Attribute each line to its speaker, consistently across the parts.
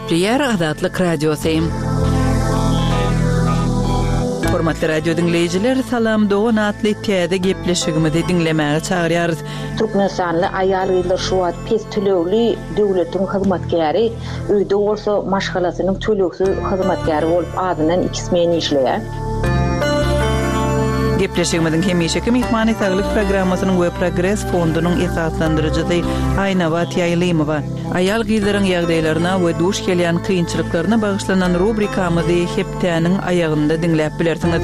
Speaker 1: Gepleýär Azatlyk Radiosy. Hormatly radio diňleýjiler, Salam dogan atly täze gepleşigimizi diňlemäge çagyrýarys.
Speaker 2: Türkmenistanly aýal-gyzlar şu wagt pes tölegli döwletiň hyzmatkäri, öýde bolsa maşgalasynyň tölegsiz hyzmatkäri bolup azyndan iki smen işleýär.
Speaker 1: Gepleşigimiziň hemişeki myhmany Saglyk programmasynyň we Progres fondunyň esaslandyryjysy Aýnabat Ýaýlymowa. Aýal-gyzlaryň ýagdaýlaryna we duş gelýän kynçylyklaryna bagyşlanan rubrikamyzy hepdäniň aýagynda diňläp bilersiňiz.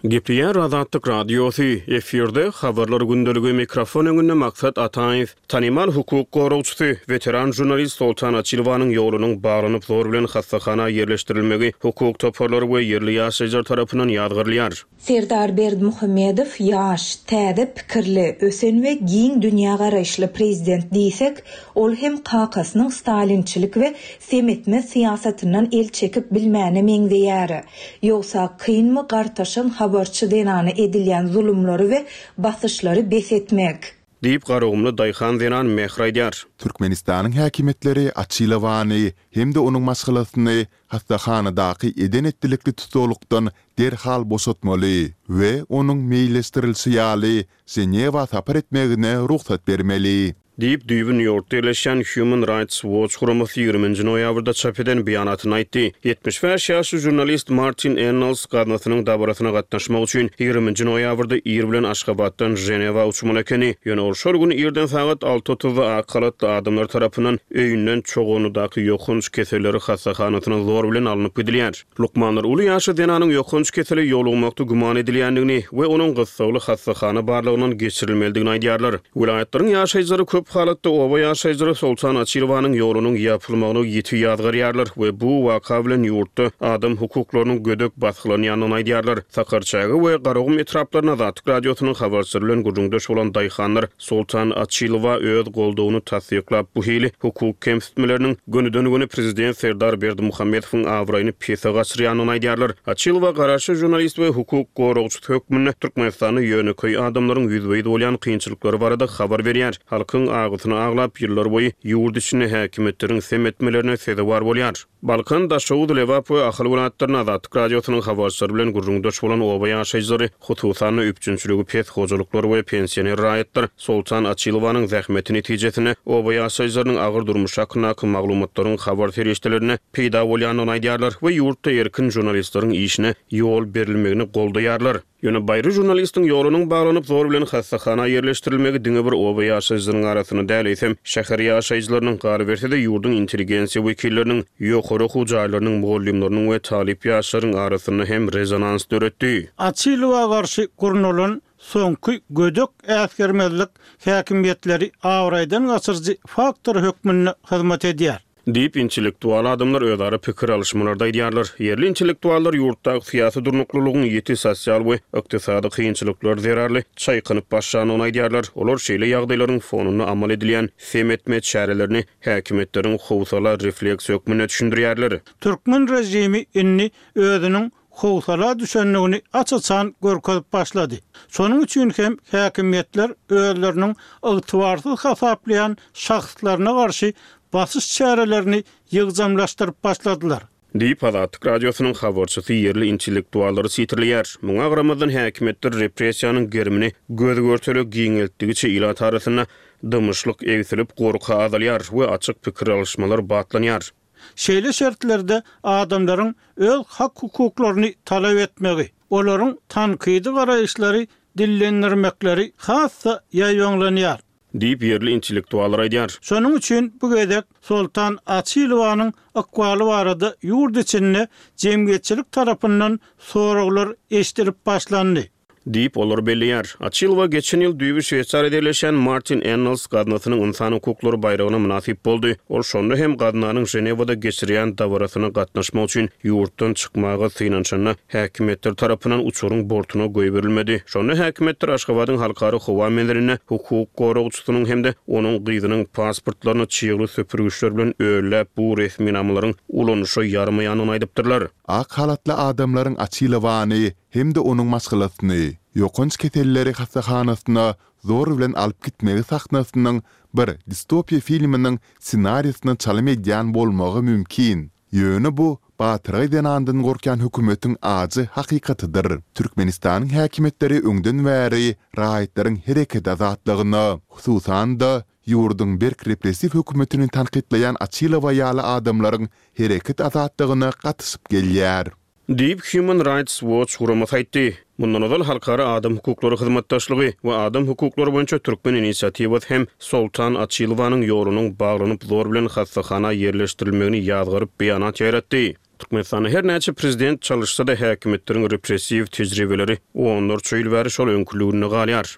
Speaker 3: Gepleýär Azatlyk Radiosy, efirde Habarlar gündeligi, mikrofon öňünde Maksat Ataýew. Tanymal hukuk goragçysy, weteran žurnalist Soltan Açilowanyň ýolunyň baglanyp zor bilen hassahana ýerleşdirilmegi hukuk toparlary we ýerli ýaşaýjylar tarapyndan ýazgarylýar.
Speaker 4: Serdar Berdimuhamedow ýaş, täze pikirli, ösen we giň dünýägaraýyşly prezident diýsek, ol hem kakasynyň stalinçilik we sem etmez syýasatyndan el çekip bilmäne meňzeýär. Ýogsa kynmy gartaşan habarçy zenana edilýän zulumlary we basyşlary bes etmek?
Speaker 3: Diýip, garagumly daýhan zenan Mähri aýdýar.
Speaker 5: Türkmenistanyň häkimiýetleri Açilowany hem-de onuň maşgalasyny hassahanadaky eden-etdilikli tussaglykdan derhal boşatmaly we onuň meýilleşdirilişi ýaly Ženewa sapar etmegine rugsat bermeli.
Speaker 3: Diýip, düýbi Nýu-Ýorkda ýerleşýän Human Rights Watch guramasy ýigriminji noýabrda çap eden beýanatynda aýtdy. 75 ýaşly žurnalist Martin Ennals gaznasynyň dabarasyna gatnaşmak üçin ýigriminji noýabrda ir bilen Aşgabatdan Ženewa uçmaly ekeni. Ýöne ol şol gün irden sagat alty otuzda ak halatly adamlar tarapyndan öýünden Çoganlydaky ýokanç keselleri hassahanasyna zor bilen alnyp gidilýär. Lukmanlar uly ýaşly zenanyň ýokanç kesele ýolugmakda güman edilýändigini we onuň gyssagly hassahana barlagyndan geçirilmelidigini aýdýarlar. Welaýatlaryň ýaşaýjylary köp halatda oba ýaşaýjylary Soltan Açilowanyň ýolunyň ýapylmagyny ýiti ýazgarýarlar we bu waka bilen ýurtda adam hukuklarynyň gödek basgylanýandygyny aýdýarlar. Sakarçäge we Garagum etraplarynda Azatlyk Radiosynyň habarçylary bilen gürrüňdeş bolan daýhanlar Soltan Açylowa öz goldawyny tassyklap, bu hili hukuk kemsitmeleriniň gönüden-göni prezident Serdar Berdimuhamedowyň abraýyny pese gaçyrýandygyny aýdýarlar. Açylowa garaşsyz žurnalist we hukuk goragçysy hökmünde Türkmenistanda ýönekeý adamlaryň ýüzbe-ýüz bolýan kynçylyklary barada habar berýär, halkyň agysyny aglap, ýyllarboýy ýurt içinde häkimiýetleriň sem etmelerine sezewar bolýar. Balkan, Daşoguz, Lebap we Ahal welaýatlarynda Azatlyk Radiosynyň habarçylary bilen gürrüňdeş bolan oba ýaşaýjylary, hususan-da, üpjünçiligi pes hojalyklar we pensioner raýatlar Soltan Açylowanyň zähmeti netijesinde oba ýaşaýjylarynyň agyr durmuşy hakyndaky maglumatlaryň habar serişdelerinde peýda bolýandygyny aýdýarlar we ýurtda erkin žurnalistleriň işine ýol berilmegini goldaýarlar. Ýöne baýry žurnalistiň ýolunyň baglanyp, zor bilen hassahana ýerleşdirilmegi diňe bir oba ýaşaýjylarynyň arasynda däl, eýsem, şäher ýaşaýjylarynyň, galyberse-de, ýurduň intelligensiýa wekilleriniň, ýokary okuw jaýlarynyň mugallymlarynyň we talyp ýaşlaryň arasynda hem rezonans döretdi.
Speaker 6: Açylowa garşy gurnalan soňky gödek äsgermezlik häkimiýetleri abraýdan gaçyryjy faktor hökmünde hyzmat edýär.
Speaker 3: Diýip, intellektual adamlar özara pikir alyşmalarda aýdýarlar. Ýerli intellektuallar ýurtdaky syýasy durnuklylygyň ýiti sosial we ykdysady kynçylyklar zerarly çaýkanyp başlandygyny aýdýarlar. Olar şeýle ýagdaýlaryň fonunda amal edilýän sem etme çärelerini häkimiýetleriň howsala refleksi hökmünde düşündirýärler.
Speaker 6: Türkmen režimi indi özüniň howsala düşendigini aç-açan görkezip başlady. Şonuň üçin hem häkimiýetler özleriniň ygtybarsyz hasaplaýan şahslaryna garşy basyş çärelerini ýygjamlaşdyryp başladylar.
Speaker 3: Diýip, Azatlyk Radiosynyň habarçysy ýerli intellektuallary sitirleýär. Muňa garamazdan, häkimiýetler repressiýanyň gerimini göz-görtele giňeltdigiçe ilat arasynda dymyşlyk egsilip, gorky azalýar we açyk pikir alyşmalar batlanýar.
Speaker 6: Şeýle şertlerde adamlaryň öz hak-hukuklaryny talap etmegi, olaryň tankydy garaýyşlary dillendirmekleri has-da ýaýbaňlanýar.
Speaker 3: Diýip, ýerli intellektuallar aýdýar.
Speaker 6: Şonuň üçin bu gezek Soltan Açylowanyň ykbaly barada ýurt içinde jemgyýetçilik tarapyndan soraglar eşidilip başlandy.
Speaker 3: Diýip, olar belleýär. Açylowa geçen ýyl düýbi Şweýsariýada ýerleşýän Martin Ennals gaznasynyň ynsan hukuklary baýragyna mynasyp boldy. Ol şonda hem gaznanyň Ženewada geçirýän dabarasyna gatnaşmak üçin ýurtdan çykmaga synanyşanda, häkimiýetler tarapyndan uçaryň bortuna goýberilmedi. Şonda häkimiýetler Aşgabadyň halkara howa menzilinde hukuk goragçysynyň hem-de onuň gyzynyň pasportlaryny çygly süpürgiçler bilen ölläp, bu resminamalaryň ulanyşa ýaramaýandygyny aýdypdyrlar.
Speaker 5: Ak halatly adamlaryň Açylowany hem-de onuň maşgalasyny. ýokanç keselleri hassahanasyna zor bilen alyp gitmegi sahnasynyň bir distopiýa filminiň ssenariýasyna çalym edýän bolmagy mümkin. Ýöne bu batyrgaý zenandan gorkýan hökümetiň ajy hakykatydyr. Türkmenistanyň häkimiýetleri öňden bäri raýatlaryň hereket azatlygyna, hususan-da, ýurduň berk repressiw hökümetini tankytlaýan Açylowa ýaly adamlaryň hereket azatlygyna gatyşyp gelýär.
Speaker 3: Diýip, Human Rights Watch guramasy aýtdy. Mundan ozal Halkara adam hukuklary hyzmatdaşlygy we adam hukuklary boýunça türkmen inisiatiwasy hem Soltan Açylowanyň ýolunyň baglanyp zor bilen hassahana ýerleşdirilmegini ýazgaryp beýanat ýaýratdy. Türkmenistanda her näçe prezident çalyşsa-da häkimiýetleriň repressiw tejribeleri onlarça ýyl bäri şol öňküliginde galýar.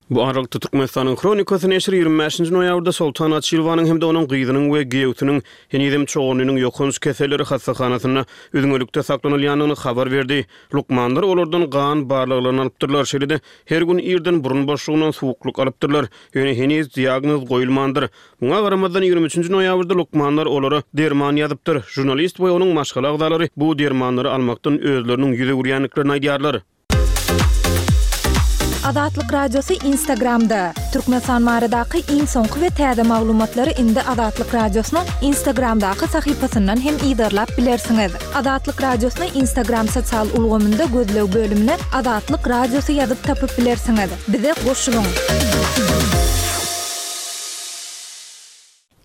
Speaker 3: Bu aralykda, Türkmenistanyň Hronikasy neşiri 25-nji noýabrda Soltan Açylowanyň hem-de onuň gyzynyň we giýewsiniň henizem Çoganlynyň ýokanç keselleri hassahanasynda üzňelikde saklanylýandygyny habar berdi. Lukmanlar olardan gan barlaglaryny alypdyrlar, şeýle-de her gün irden burun boşlugyndan suwuklyk alypdyrlar, ýöne heniz diagnoz goýulmandyr. Muňa garamazdan, 23-nji noýabrda lukmanlar olara derman ýazypdyr. Žurnalist we onuň maşgala agzalary bu dermanlary almakdan özleriniň ýüz öwürýändiklerini aýdýarlar.
Speaker 4: Azatlyk Radiosy Instagramda, Türkmenistan baradaky iň soňky we täze maglumatlary indi Azatlyk Radiosynyň Instagramdaky sahypasyndan hem yzarlap bilersiňiz. Azatlyk Radiosyny Instagram sosial ulgamynda gözleg bölümine Azatlyk Radiosy ýazyp tapyp bilersiňiz. Bize goşulyň!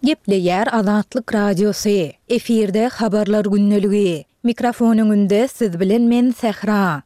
Speaker 4: Gepleýär Azatlyk Radiosy, efirde Habarlar gündeligi. Mikrofon öňünde siz bilen men Sähra.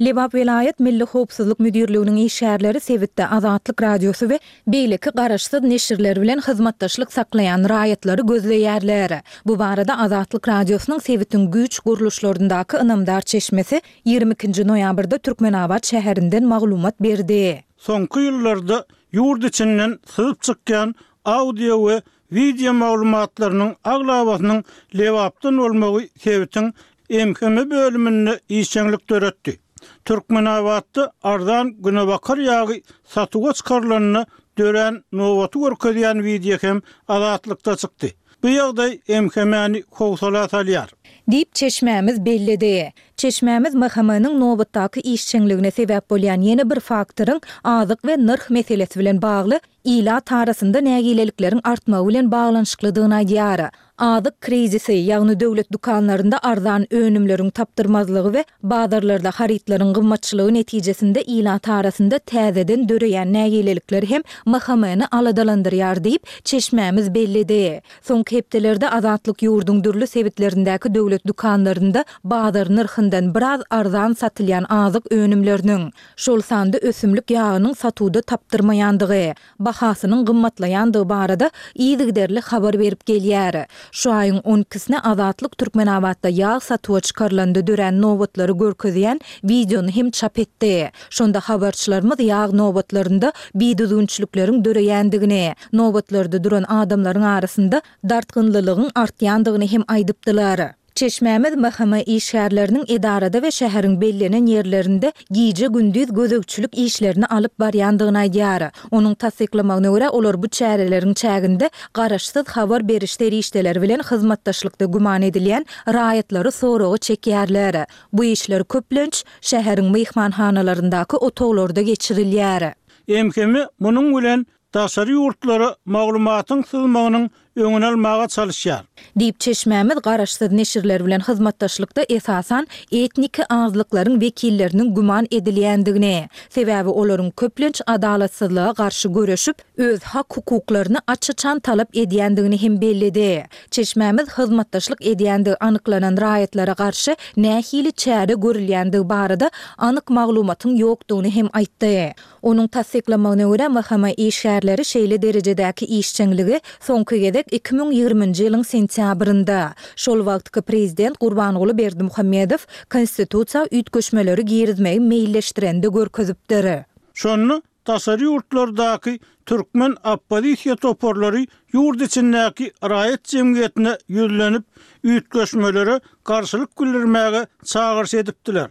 Speaker 4: Lebap welaýat Milli howpsuzlyk müdirliginiň işgärleri sebitde Azatlyk Radiosy we beýleki garaşsyz neşirler bilen hyzmatdaşlyk saklaýan raýatlary gözleýärler. Bu barada Azatlyk Radiosynyň sebitiň güýç gurluşlaryndaky ynamdar çeşmesi 22-nji noýabrda Türkmenabat şäherinden maglumat berdi.
Speaker 6: Soňky ýyllarda ýurt içinden syzyp çykýan audio we wideo maglumatlarynyň aglabasynyň Lebapdan bolmagy sebitiň MHM bölüminde işjeňlik döretdi. Türkmenabatda arzan günebakar ýagy satuwa çykarylanda dörän nobaty görkezýän wideo hem Azatlykda çykdy. Bu ýagdaý MHM-ni howsala salýar.
Speaker 4: Diýip, çeşmämiz belledi. Çeşmämiz MHM-niň nobatdaky işjeňligine sebäp bolýan ýene bir faktoryň azyk we nyrh meselesi bilen bagly ilat arasynda nägilelikleriň artmagy bilen baglanyşyklydygyny aýdýar. Azyk krizisi, ýagny döwlet dükanlarynda arzan önümleriň tapdyrmazlygy we bazarlarda harytlaryň gymmatçylygy netijesinde ilat arasynda täzeden döreýän nägilelikler hem MHM-ni aladalandyrýar diýip, çeşmämiz belledi. Soňky hepdelerde Azatlyk ýurduň dürli sebitlerindäki döwlet dükanlarynda bazar nyrhyndan biraz arzan satylýan azyk önümleriniň, şol sanda ösümlik ýagynyň satuwda tapdyrmaýandygy, bahasynyň gymmatlaýandygy barada yzygiderli habar berip gelýär. Şu aýyň on ikisine Azatlyk Türkmenabatda ýag satuwa çykarylanda dörän nobatlary görkezýän wideony hem çap etdi. Şonda habarçylarymyz ýag nobatlarynda bidüzgünçilikleriň döreýändigini, nobatlarda duran adamlaryň arasynda dartgynlylygyň artýandygyny hem aýdypdylar. Çeşmämiz MHM işgärleriniň edarada we şäheriň bellenen ýerlerinde gije-gündiz gözegçilik işlerini alyp barýandygyny aýdýar. Onuň tassyklamagyna görä, olar bu çäreleriň çäginde garaşsyz habar beriş serişdeleri bilen hyzmatdaşlykda güman edilýän raýatlary soraga çekýärler. Bu işler köplenç, şäheriň myhmanhanalaryndaky otaglarda geçirilýär.
Speaker 6: MHM munuň bilen daşary ýurtlara maglumatyň syzmagynyň öňüni almaga çalyşýar.
Speaker 4: Diýip, çeşmämiz garaşsyz neşirler bilen hyzmatdaşlykda esasan etniki azlyklaryň wekilleriniň güman edilýändigini, sebäbi olaryň köplenç adalatsyzlyga garşy göreşip, öz hak-hukuklaryny aç-açan talap edýändigini hem belledi. Çeşmämiz hyzmatdaşlyk edýändigi anyklanan raýatlara garşy nähili çäre görülýändigi barada anyk maglumatyň ýokdugyny hem aýtdy. Onuň tassyklamagyna görä, MHM işgärleri şeýle derejedäki işjeňligi soňky gezek 2020-nji ýylyň sentýabrynda, şol wagtky prezident Gurbanguly Berdimuhamedow Konstitusiýa üýtgeşmeleri girizmegi meýilleşdirende görkezipdir.
Speaker 6: Şonda daşary ýurtlardaky türkmen oppozisiýa toparlary ýurt içindäki raýat jemgyýetine ýüzlenip, üýtgeşmelere garşylyk bildirmäge çagyryş edipdiler.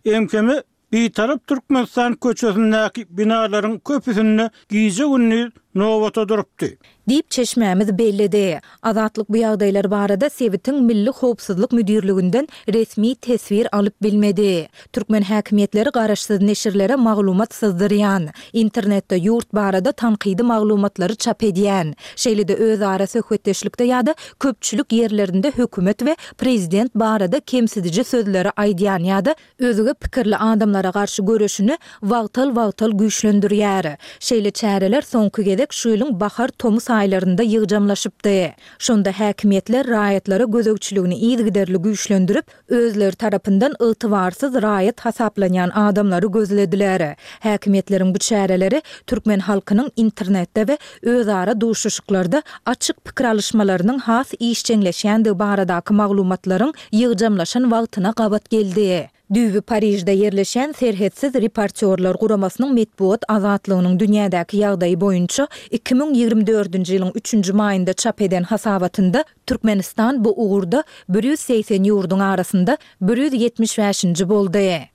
Speaker 6: MHM Bitarap Türkmenistan köçesindäki binalaryň köpüsinde gije-gündiz nobata durupdy.
Speaker 4: Diýip, çeşmämiz belledi. Azatlyk bu ýagdaýlar barada sebitiň Milli howpsuzlyk müdirliginden resmi teswir alyp bilmedi. Türkmen häkimiýetleri garaşsyz neşirlere maglumat syzdyrýan, internetde ýurt barada tankydy maglumatlary çap edýän, şeýle-de özara söhbetdeşlikde ýa-da köpçülik ýerlerinde hökümet we prezident barada kemsidiji sözleri aýdýan ýa-da özge pikirli adamlara garşy göreşini wagtal-wagtal güýçlendirýär. Şeýle çäreler soňky gezek şu ýylyň bahar-tomus aýlarynda ýygjamlaşypdy. Şonda häkimiýetler raýatlara gözegçiligini yzygiderli güýçlendirip, özleri tarapyndan ygtybarsyz raýat hasaplanýan adamlary gözlediler. Häkimiýetleriň bu çäreleri türkmen halkynyň internetde we özara duşuşyklarda açyk pikir alyşmalarynyň has işjeňleşýändigi baradaky maglumatlaryň ýygjamlaşan wagtyna gabat geldi. Düýbi Parižde ýerleşýän Serhetsiz reportýorlar guramasynyň metbugat azatlygynyň dünýädäki ýagdaýy boýunça 2024-nji ýylyň üçünji maýynda çap eden hasabatynda Türkmenistan bu ugurda 180 ýurduň arasynda 175-nji boldy.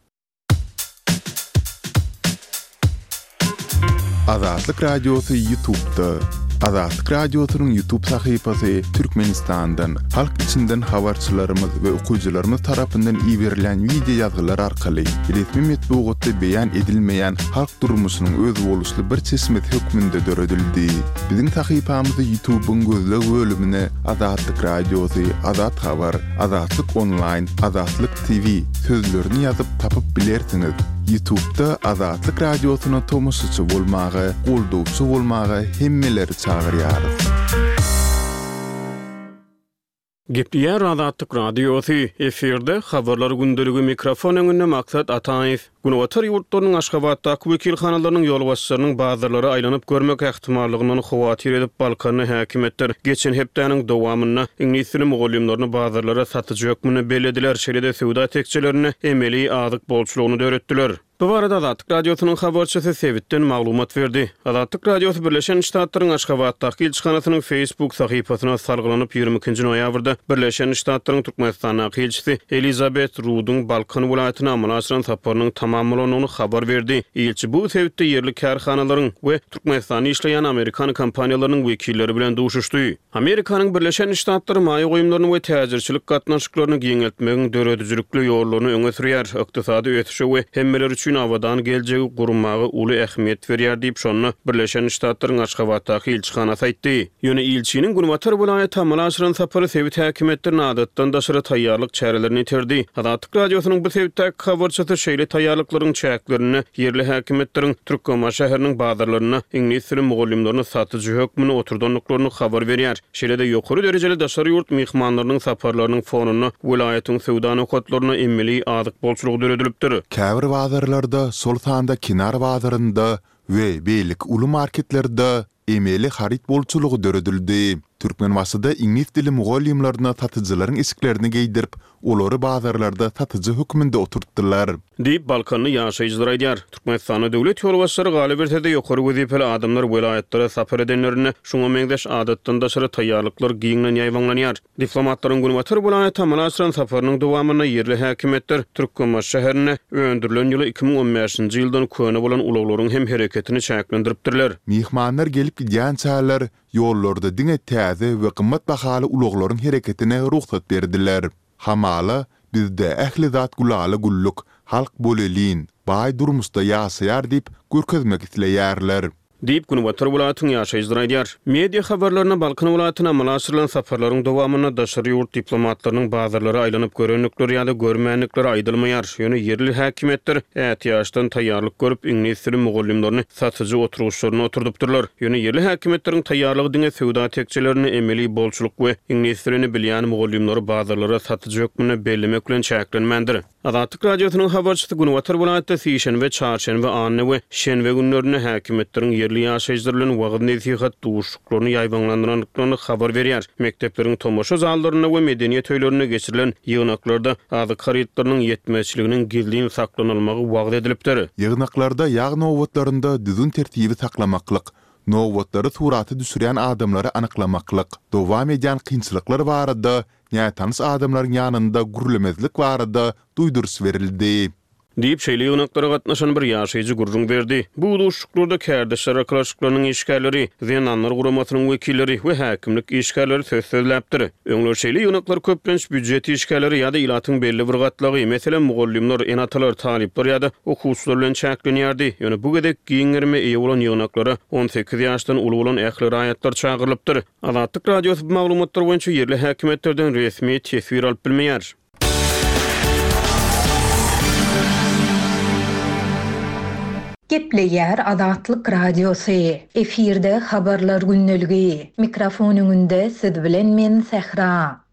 Speaker 5: Azatlyk Radiosy Ýutubda. Azatlyk Radiosynyň Ýutub sahypasy Türkmenistandan, halk içinden habarçylarymyz we okyjylarymyz tarapyndan iberilýän wideo ýazgylar arkaly resmi metbugatda beýan edilmeýän halk durmuşynyň özboluşly bir çeşmesi hökmünde döredildi. Biziň sahypamyzy Ýutubyň gözleg bölümine Azatlyk Radiosy, Azat Habar, Azatlyk Onlaýn, Azatlyk TV sözlerini ýazyp tapyp bilersiňiz. Ýutubda Azatlyk Radiosyna tomaşaçy bolmaga, goldawçy bolmaga hemmeleri çagyrýarys.
Speaker 3: Gepleýär Azatlyk Radiosy, efirde Habarlar gündeligi mikrofon öňünde Maksat Ataýew. Günbatar ýurtlarynyň Aşgabatdaky wekilhanalarynyň ýolbaşçylarynyň bazarlara aýlanyp görmek ähtimallygyndan howatyr edip Balkanly häkimiýetler geçen hepdäniň dowamynda iňlis dili mugallymlaryny bazarlara satyjy hökmünde bellediler, şeýle-de söwda tekjelerinde emeli azyk bolçulygyny döretdiler. Bu barada Azatlyk Radiosynyň habarçysy sebitden maglumat berdi. Azatlyk Radiosy Birleşen Ştatlaryň Aşgabatdaky ilçihanasynyň Facebook sahypasyna salgylanyp, 22-nji noýabrda Birleşen Ştatlaryň Türkmenistandaky ilçisi Elizabet Ruduň Balkan welaýatyna amala aşyran saparynyň tamam bolandygyny habar berdi. Ilçi bu sebitde ýerli kärhanalaryň we Türkmenistanda işleýän amerikan kompaniýalarynyň wekilleri bilen duşuşdy. Amerikanyň Birleşen Ştatlary maýa goýumlaryny we täjirçilik gatnaşyklaryny giňeltmegiň döredijilikli ýollaryny öňe sürýär, ykdysady ösüşe we hemmeler üçin abadan geljegi gurmaga uly ähmiýet berýär diýip, şonda Birleşen Ştatlaryň Aşgabatdaky ilçihanasy aýtdy. Ýöne ilçiniň günbatar welaýata amala aşyran sapary sebit häkimiýetlerini adatdan daşary taýýarlyk çärelerine iterdi. Azatlyk Radiosynyň bu sebitdäki habarçysy şeýle taýýarlyklaryň çäklerinde ýerli häkimiýetleriň Türkmenbaşy şäheriniň bazarlarynda iňlis dili mugallymlaryny satyjy hökmünde oturdandyklaryny habar berýär. Şeýle-de ýokary derejeli daşary ýurt myhmanlarynyň saparlarynyň fonunda welaýatyň söwda nokatlarynda emeli azyk bolçulygy döredilipdir.
Speaker 5: Käbir bazarlarda, şol sanda Kenar bazarynda we beýleki uly marketlerde Emeli haryt bolçulygy döredildi. Türkmenbaşyda iňlis dili mugallymlaryna satyjylaryň eşiklerini geýdirip, olary bazarlarda satyjy hökmünde oturtdylar.
Speaker 3: Diýip, balkanly ýaşaýjylar aýdýar. Türkmenistanda döwlet ýolbaşçylary, galyberse-de, ýokary wezipeli adamlar welaýatlara sapar edenlerinde şuňa meňzeş adatdan daşary taýýarlyklar giňden ýaýbaňlanýar. Diplomatlaryň günbatar welaýata amala aşyran saparynyň dowamynda ýerli häkimiýetler Türkmenbaşy şäherinde öndürilen ýyly 2015-nji ýyldan köne bolan ulaglaryň hem hereketini çäklendiripdirler.
Speaker 5: Myhmanlar gelip gidýänçäler ýollarda diňe täze we gymmat bahaly ulaglaryň hereketine rugsat berdiler. Hamala, bizde ähli zat gülala-güllük, halk bolelin, baý durmuşda ýaşaýar diýip görkezmek isleýärler.
Speaker 3: Diýip, günbatar welaýatyň ýaşaýjylary aýdýar. Media habarlarynda Balkan welaýatyna amala aşyrylan saparlaryň dowamynda daşary ýurt diplomatlarynyň bazarlara aýlanyp görendikleri ýa-da görmändikleri aýdylmaýar. Ýöne ýerli häkimiýetler ätiýaçdan taýýarlyk görüp, iňlis dili mugallymlaryny satyjy oturgyçlarynda oturdypdyrlar. Ýöne ýerli häkimiýetleriň taýýarlygy diňe söwda tekjelerinde emeli bolçulyk we iňlis dilini bilýän mugallymlary bazarlara satyjy hökmünde bellemek bilen çäklenmändir. Azatlyk Radiosynyň habarçysy günbatar welaýatda sişenbe, çarşenbe, anna we şenbe günlerinde häkimiýetleriň ýerli ýaşaýjylar bilen wagyz-nesihat duşuşyklaryny ýaýbaňlandyrandyklaryny habar berýär. Mekdepleriň tomaşa zallarynda we medeniýet öýlerinde geçirilen ýygnaklarda azyk harytlarynyň ýetmezçiliginiň gizlin saklanylmagy wagyz edilipdir.
Speaker 5: Ýygnaklarda ýag nobatlarynda düzgün-tertibi saklamaklyk, nobatlary surata düşürýän adamlary anyklamaklyk, dowam edýän kynçylyklar barada nätanyş adamlaryň ýanynda gürlemezlik barada duýduryş berildi.
Speaker 3: Diýip, şeýle ýygnaklara gatnaşan bir ýaşaýjy gürrüň berdi. Bu duşuşyklarda kärdeşler arkalaşyklarynyň işgärleri, Zenanlar guramasynyň wekilleri we häkimlik işgärleri söz sözläpdir. Öňler şeýle ýygnaklar köplenç býujet işgärleri ýa-da ilatyň belli bir gatlagy, meselem, mugallymlar, ene-atalar, talyplar ýa-da okuwçylar bilen çäklenýärdi. Ýöne bu gezek giň gerime eýe bolan ýygnaklara 18 ýaşdan uly bolan ähli raýatlar çagyrylypdyr. Azatlyk Radiosy bu maglumatlar boýunça ýerli häkimiýetlerden resmi teswir alyp bilmeýär.
Speaker 4: Gepleýär Azatlyk Radiosy, efirde Habarlar gündeligi. Mikrofon öňünde siz bilen men Sähra.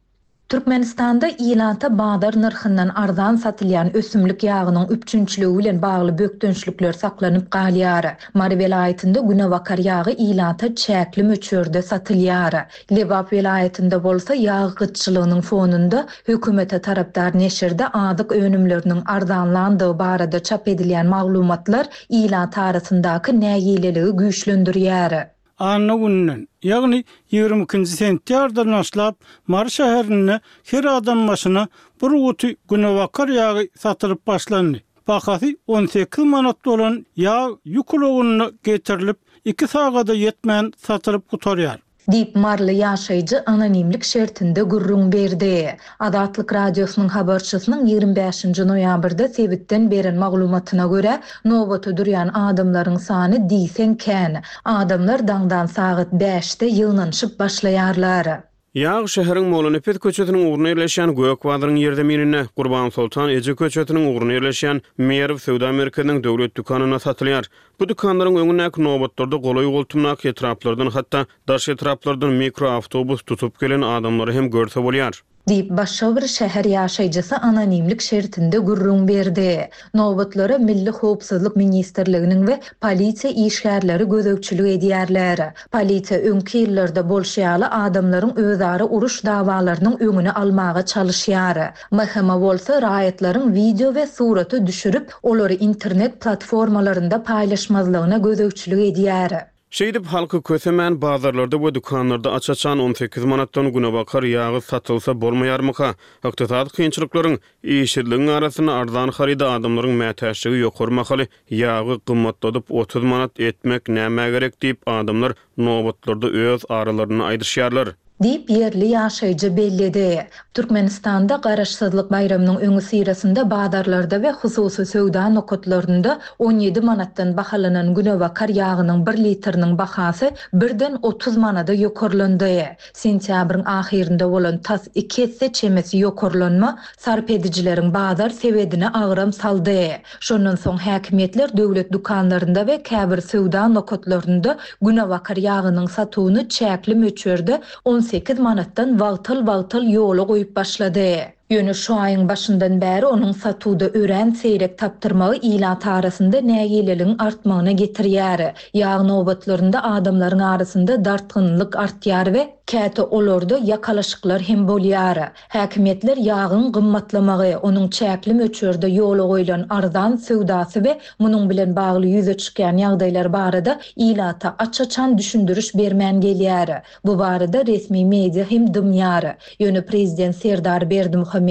Speaker 4: Türkmenistanda ilata bazar nyrhyndan arzan satylýan ösümlik ýagynyň üpjünçiligi bilen bagly bökdençlikler saklanyp galýar. Mary welaýatynda günebakar ýagy ilata çäkli möçberde satylýar. Lebap welaýatynda bolsa ýag gytçylygynyň fonunda hökümete tarapdar neşirde azyk önümleriniň arzanlandygy barada çap edilýän maglumatlar ilat arasyndaky nägileligi güýçlendirýär.
Speaker 6: Anna gününden, ýagny 22-nji sentýabrdan başlap Mary şäherinde her adam başyna bir guty günebakar ýagy satylyp başlandy. Bahasy 18 manat bolan ýag ýük ulagynda getirilip, iki sagada ýetmän satylyp gutarýar.
Speaker 4: Diýip, maryly ýaşaýjy anonimlik şertinde gürrüň berdi. Azatlyk Radiosynyň habarçysynyň 25-nji noýabrda sebitden beren maglumatyna görä, nobata durýan adamlaryň sany diýseň kän. Adamlar daňdan sagat bäşde ýygnanyşyp başlaýarlar.
Speaker 3: Ýag şäheriň Mollanepes köçesiniň ugrunda ýerleşýän Gök bazaryň ýerzemininde, Gurbansoltan eje köçesiniň ugrunda ýerleşýän Merw söwda merkeziniň döwlet dükanynda satylýar. Bu dükanlaryň öňündäki nobatlarda golaý-goltumdaky etraplardan, hatda daş etraplardan mikroawtobus tutup gelen adamlary hem görse bolýar.
Speaker 4: Diýip, başga bir şäher ýaşaýjysy anonimlik şertinde gürrüň berdi. Nobatlara Milli howpsuzlyk ministrliginiň we polisiýa işgärleri gözegçilik edýärler. Polisiýa öňki ýyllarda bolşy ýaly adamlaryň özara uruş dawalarynyň öňüni almaga çalyşýar. MHM bolsa raýatlaryň wideo we surata düşürip, olary internet platformalarynda paýlaşmazlygyna gözegçilik edýär.
Speaker 3: Şeýdip, halky kösemän, bazarlarda we dükanlarda aç-açan 18 manatdan günebakar ýagy satylsa bolmaýarmyka? Ykdysady kynçylyklaryň, işsizligiň arasynda arzan haryda adamlaryň mätäçligi ýokary mahaly ýagy gymmatladyp 30 manat etmek nämä gerek diýip, adamlar nobatlarda öz aralarynda aýdyşýarlar.
Speaker 4: Diýip, ýerli ýaşaýjy belledi. Türkmenistanda Garaşsyzlyk baýramynyň öňüsyrasynda bazarlarda we hususy söwda nokatlarynda 17 manatdan bahalanan günebakar ýagynyň bir litriniň bahasy birden 30 manada ýokarlandy. Sentýabryň ahyrynda bolan tas iki esse çemesi ýokarlanma sarp edijileriň bazar sebedine agram saldy. Şondan soň häkimiýetler döwlet dükanlarynda we käbir söwda nokatlarynda günebakar ýagynyň satuwyny çäkli möçberde 18 manatdan wagtal-wagtal ýola goýup başlady. Ýöne şu aýyň başyndan bäri onuň satuwda örän seýrek tapdyrmagy ilat arasynda nägileligiň artmagyna getirýär. Ýag nobatlarynda adamlaryň arasynda dartgynlylyk artýar we käte olarda ýakalaşyklar hem bolýar. Häkimiýetler ýagyň gymmatlamagy, onuň çäkli möçberde ýola goýlan arzan söwdasy we munuň bilen bagly ýüze çykýan ýagdaýlar barada ilata aç-açan düşündiriş bermän gelýär. Bu barada resmi media hem dymýar. Ýöne prezident Serdar Berdimuhamedow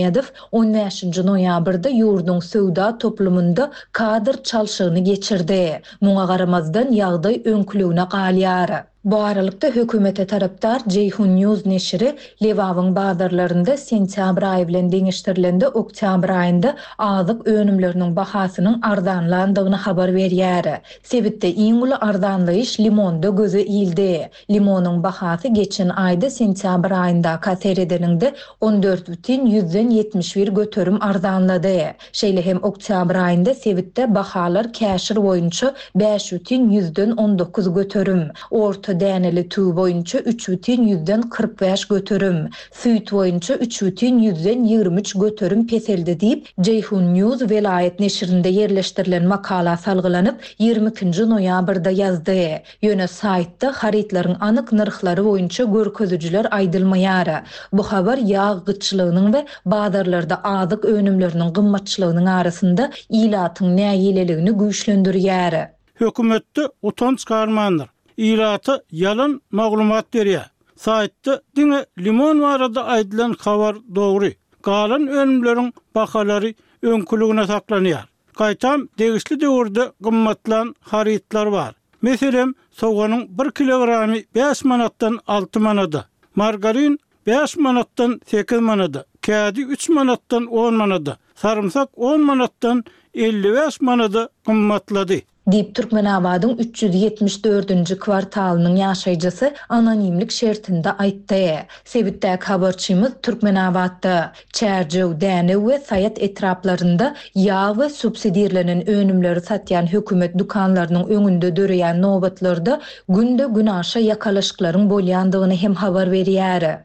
Speaker 4: on bäşinji noýabrda ýurduň söwda toplumynda kadr çalşygyny geçirdi. Muňa garamazdan, ýagdaý öňküligine galýar. Bu aralykda, hökümete tarapdar Jeyhun News neşiri Lebabyň bazarlarynda sentýabr aýy bilen deňeşdirilende oktýabr aýynda azyk önümleriniň bahasynyň arzanlandygyny habar berýär. Sebitde iň uly arzanlaýyş limonda göze ildi. Limonyň bahasy geçen aýda sentýabr aýyndaka seredeniňde 14 bütin ýüzden 71 göterim arzanlady. Şeýle hem oktýabr aýynda sebitde bahalar käşir boýunça bäş bütin ýüzden 19 göterim, orta däneli tüwi boýunça üç bütin ýüzden 45 göterim, süýt boýunça üç bütin ýüzden 23 göterim peseldi diýip, Jeyhun News welaýat neşirinde ýerleşdirilen makala salgylanyp, 22-nji noýabrda ýazdy. Ýöne saýtda harytlaryň anyk nyrhlary boýunça görkezijiler aýdylmaýar. Bu habar ýag gytçylygynyň we bazarlarda azyk önümleriniň gymmatçylygynyň arasynda ilatyň nägileligini güýçlendirýär.
Speaker 6: Hökümetde utanç galmandyr. Ilata ýalan maglumat berýär. Saýtda diňe limon barada aýdylan habar dogry. Galan önümleriň bahalary öňküligine saklanýar. Gaýtam, degişli döwürde gymmatlan harytlar bar. Meselem, soganyň bir kilogramy bäş manatdan alty manada, margarin bäş manatdan sekiz manada, kädi üç manatdan on manada, sarymsak on manatdan 55 manada gymmatlady.
Speaker 4: Diýip, Türkmenabadyň 374-nji kwartalynyň ýaşaýjysy anonimlik şertinde aýtdy. Sebitdäki habarçymyz Türkmenabatda, Çärjew, Dänew we Saýat etraplarynda ýag we subsidirlenen önümleri satýan hökümet dükanlarynyň öňünde döreýän nobatlarda günde-günaşa ýakalaşyklaryň bolýandygyny hem habar berýär.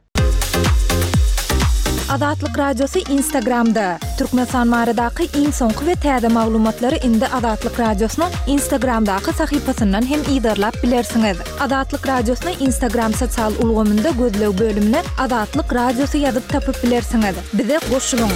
Speaker 4: Azatlyk Radiosy Instagramda, Türkmenistan baradaky iň soňky we täze maglumatlary indi Azatlyk Radiosynyň Instagramdaky sahypasyndan hem yzarlap bilersiňiz. Azatlyk Radiosyny Instagram sosial ulgamynda gözleg bölümine Azatlyk Radiosy ýazyp tapyp bilersiňiz. Bize goşulyň!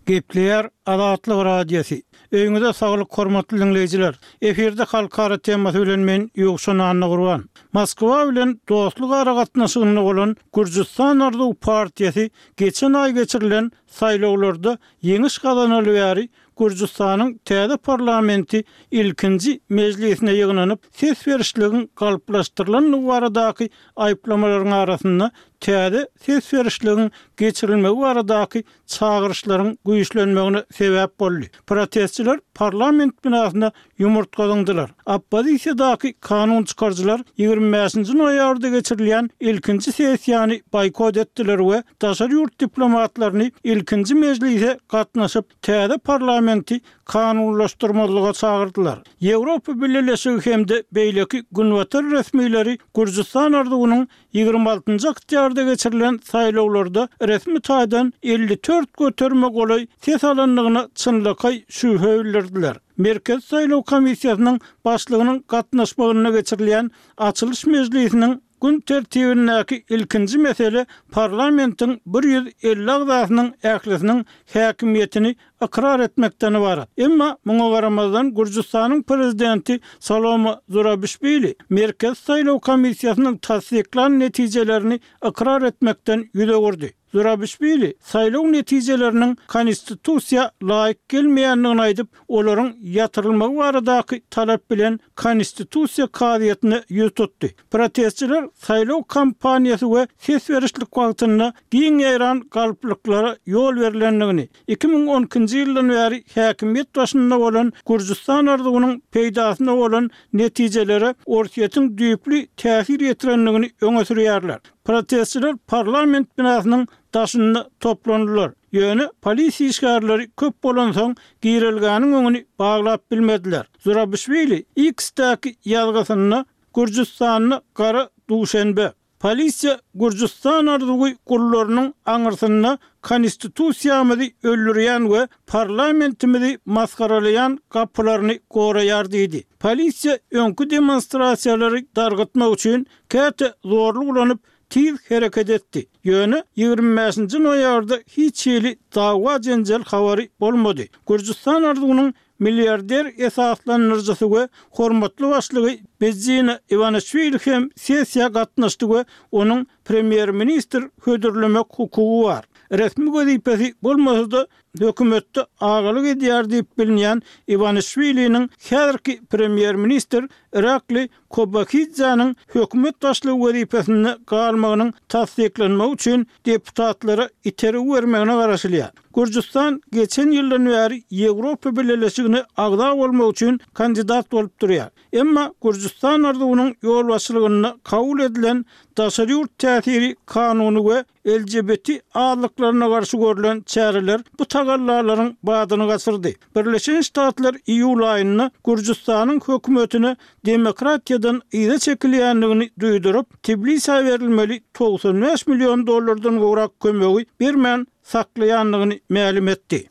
Speaker 6: Gepleýär Azatlyk Radiosy. Öýüňize saglyk hormatly diňleýjiler. Efirde halkara temasy bilen men Ýowşan Annagurban. Moskwa bilen dostluk aragatnaşygynda bolan Gürjüstan Arzuw partiýasy geçen aý geçirilen saýlawlarda ýeňiş gazanaly bäri Gürjüstanyň täze parlamenti ilkinji mejlisine ýygnanyp, ses berişligiň galplaşdyrylandygy baradaky aýyplamalaryň arasynda täze ses berişligiň geçirilmegi baradaky çagyryşlaryň güýçlenmegine sebäp boldy. Protestçiler parlament binasyna ýumurtga zyňdylar. Oppozisiýadaky kanun çykaryjylar 25-nji noýabrda geçirilýän ilkinji sessiýany boýkot etdiler we daşary ýurt diplomatlaryny ilkinji mejlise gatnaşyp, täze parlamenti kanunlaşdyrmazlyga çagyrdylar. Ýewropa Bileleşigi hem-de beýleki günbatar resmileri Gürjüstan arzuwynyň 26 njy oktýabrda geçirilen saýlawlarda resmi taýdan 54 göterime golaý ses alandygyna çynlakaý şübhe bildirdiler. Merkezi saýlaw komissiýasynyň başlygynyň gatnaşmagynda geçirilýän açylyş mejlisiniň gün tertibindäki ilkinji mesele parlamentiň 150 agzasynyň ählisiniň häkimiýetini ykrar etmekden ybarat. Emma muňa garamazdan Gürjüstanyň prezidenti Salome Zurabişwili Merkezi saýlaw komissiýasynyň tassyklan netijelerini ykrar etmekden ýüz öwürdi. Zurabişwili saýlaw netijeleriniň konstitusiýa laýyk gelmeýändigini aýdyp, olaryň ýatyrylmagy baradaky talap bilen Konstitusiýa kazyýetine ýüz tutdy. Protestçiler saýlaw kampaniýasy we ses berişlik wagtynda giň ýaýran galplyklara ýol berlendigini, 2012-nji ýyldan bäri häkimiýet başynda bolan Gürjüstan arzuwynyň peýdasyna bolan netijelere Orsýetiň düýpli täsir ýetirendigini öňe sürýärler. Protestçiler parlament binasynyň daşynda toplandylar. Ýöne polisiýa işgärleri köp bolansoň, girelgäniň öňüni baglap bilmediler. Zurabişwili X-däki ýazgysynda Gürjüstanda gara duşenbe. Polisiýa Gürjüstan arzuwy gullarynyň aňyrsynda konstitusiýamyzy öldürýän we parlamentimizi masgaralaýan gapylaryny goraýar diýdi. Polisiýa öňki demonstrasiýalary dargytmak üçin käte zorluk ulanyp, tiz hereket etdi. Ýöne 25-nji noýabrda hiç hili dawa-jenjel habary bolmady. Gürjüstan arzuwynyň milliarder esaslandyryjysy we hormatly başlygy Bidzina Iwanişwili hem sessiýa gatnaşdy we onuň premýer-ministr hödürlemek hukugy bar. Resmi wezipesi bolmasa-da, hökümetde agalyk edýär diýip bilinýän Iwanişwiliniň häzirki premýer-ministr Irakli Kobahidzäniň hökümet başlygy wezipesinde galmagynyň tassyklanmagy üçin deputatlara itergi bermegine garaşylýar. Gürjüstan geçen ýyldan bäri Ýewropa Bileleşigine agza bolmak üçin kandidat bolup durýar. Emma Gürjüstan arzuwynyň ýolbaşçylygynda kabul edilen daşary ýurt täsiri kanuny we LGBT azlyklaryna garşy görlen çäreler bu tagallalaryň badyny gaçyrdy. Birleşen Ştatlar iýul aýynda Gürjüstanyň hökümetine demokratiýadan yza çekilýändigini duýduryp, Tbilisä berilmeli 95 million dollardan gowrak kömegi bermän saklaýandygyny mälim etdi.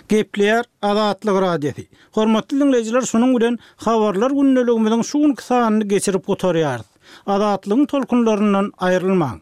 Speaker 6: Gepleýär Azatlyk Radiosy. Hormatly diňleýjiler şunuň bilen Habarlar gündeligimiziň şu günki sanyny geçirip gutarýarys. Azatlygyň tolkunlaryndan aýrylmaň.